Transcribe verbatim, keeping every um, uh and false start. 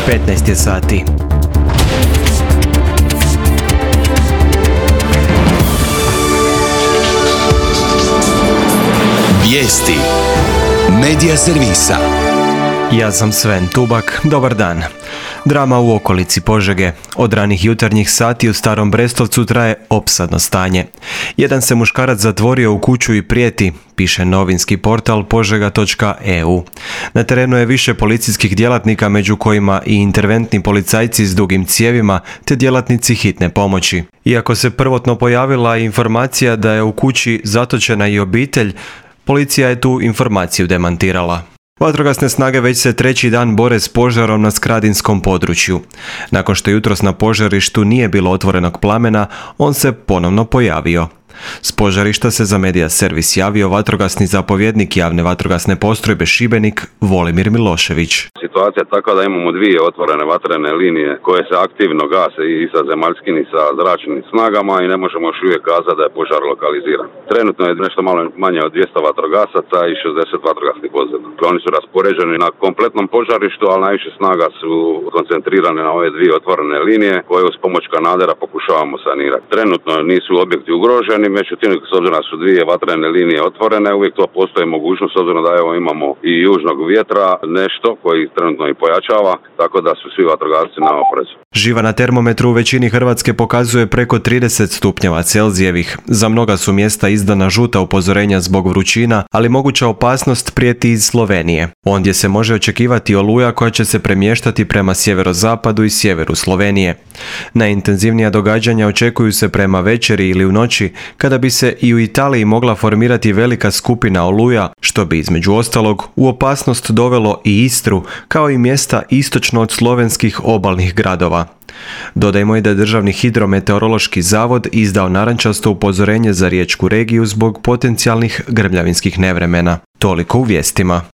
petnaest je sati. Vijesti Medija servisa. Ja sam Sven Tubak, dobar dan. Drama u okolici Požege. Od ranih jutarnjih sati u Starom Brestovcu traje opsadno stanje. Jedan se muškarac zatvorio u kuću i prijeti, piše novinski portal požega točka e u. Na terenu je više policijskih djelatnika, među kojima i interventni policajci s dugim cijevima te djelatnici hitne pomoći. Iako se prvotno pojavila informacija da je u kući zatočena i obitelj, policija je tu informaciju demantirala. Vatrogasne snage već se treći dan bore s požarom na skradinskom području. Nakon što jutros na požarištu nije bilo otvorenog plamena, on se ponovno pojavio. S požarišta se za Medija servis javio vatrogasni zapovjednik javne vatrogasne postrojbe Šibenik Volimir Milošević. Situacija je takva da imamo dvije otvorene vatrene linije koje se aktivno gase i sa zemaljskim i sa zračnim snagama i ne možemo još uvijek kazati da je požar lokaliziran. Trenutno je nešto malo manje od dvjesto vatrogasaca i šezdeset vatrogasnih vozila. Oni su raspoređeni na kompletnom požarištu, ali najviše snaga su koncentrirane na ove dvije otvorene linije koje uz pomoć kanadera pokušavamo sanirati. Trenutno nisu objekti ugroženi, međutim, s obzirom da su dvije vatrene linije otvorene, uvijek to postoji mogućnost, s obzirom da evo imamo i južnog vjetra, nešto koji trenutno i pojačava, tako da su svi vatrogasci na oprezu. Živa na termometru u većini Hrvatske pokazuje preko trideset stupnjeva Celzijevih. Za mnoga su mjesta izdana žuta upozorenja zbog vrućina, ali moguća opasnost prijeti iz Slovenije. Ondje se može očekivati oluja koja će se premještati prema sjeverozapadu i sjeveru Slovenije. Najintenzivnija događanja očekuju se prema večeri ili u noći, kada bi se i u Italiji mogla formirati velika skupina oluja, što bi između ostalog u opasnost dovelo i Istru, kao i mjesta istočno od slovenskih obalnih gradova. Dodajmo i da je Državni hidrometeorološki zavod izdao narančasto upozorenje za riječku regiju zbog potencijalnih grmljavinskih nevremena. Toliko u vijestima.